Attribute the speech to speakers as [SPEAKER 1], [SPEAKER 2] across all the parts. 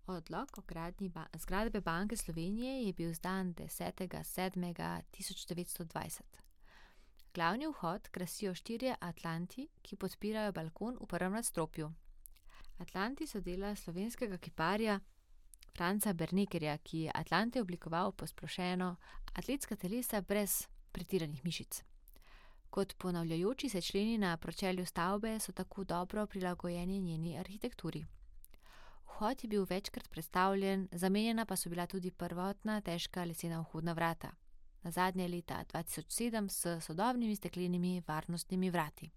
[SPEAKER 1] Odlok o gradnji zgradbe Banke Slovenije je bil izdan 10.7.1920. Glavni vhod krasijo štirje atlanti, ki podpirajo balkon v prvem nadstropju. Atlanti so dela slovenskega kiparja Franca Bernekerja, ki je atlante oblikoval posplošeno atletska telesa brez pretiranih mišic. Kot ponavljajoči se členi na pročelju stavbe so tako dobro prilagojeni njeni arhitekturi. Vhod je bil večkrat prestavljen, zamenjana pa so bila tudi prvotna težka lesena vhodna vrata. Nazadnje leta 2007 s sodobnimi steklenimi varnostnimi vrati.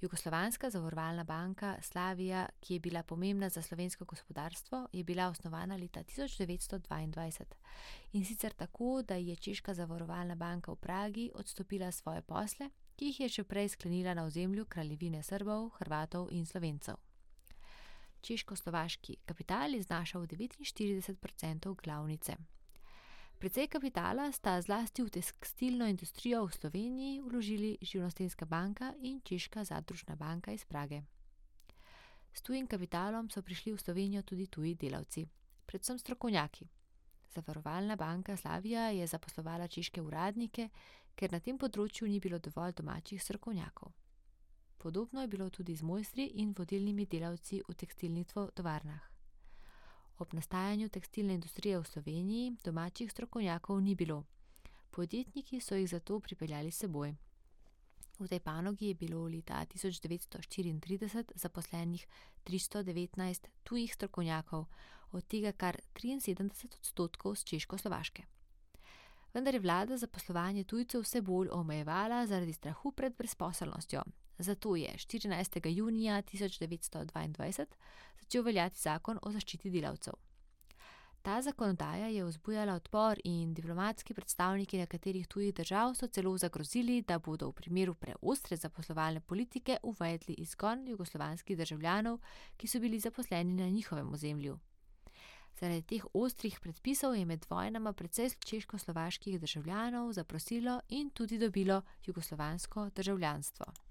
[SPEAKER 1] Jugoslovanska zavarovalna banka Slavija, ki je bila pomembna za slovensko gospodarstvo, je bila osnovana leta 1922. In sicer tako, da je Češka zavarovalna banka v Pragi odstopila svoje posle, ki jih je še prej sklenila na ozemlju Kraljevine Srbov, Hrvatov in Slovencev. Češko-slovaški kapital je znašal 49% glavnice. Precej kapitala sta zlasti v tekstilno industrijo v Sloveniji vložili Živnostenjska banka in Češka zadružna banka iz Prage. S tujim kapitalom so prišli v Slovenijo tudi tuji delavci, predvsem strokovnjaki. Zavarovalna banka Slavija je zaposlovala češke uradnike, ker na tem področju ni bilo dovolj domačih strokovnjakov. Podobno je bilo tudi z mojstri in vodilnimi delavci v tekstilnih tovarnah. Ob nastajanju tekstilne industrije v Sloveniji domačih strokovnjakov ni bilo. Podjetniki so jih zato pripeljali s seboj. V tej panogi je bilo leta 1934 zaposlenih 319 tujih strokovnjakov, od tega kar 73% z Češko-Slovaške. Vendar je vlada zaposlovanje tujcev vse bolj omejevala zaradi strahu pred brezposelnostjo. Zato je 14. junija 1922 začel veljati zakon o zaščiti delavcev. Ta zakonodaja je vzbujala odpor in diplomatski predstavniki nekaterih tujih držav so celo zagrozili, da bodo v primeru preostre zaposlovalne politike uvedli izgon jugoslovanskih državljanov, ki so bili zaposleni na njihovem ozemlju. Zaradi teh ostrih predpisov je med vojnama precej češko-slovaških državljanov zaprosilo in tudi dobilo jugoslovansko državljanstvo.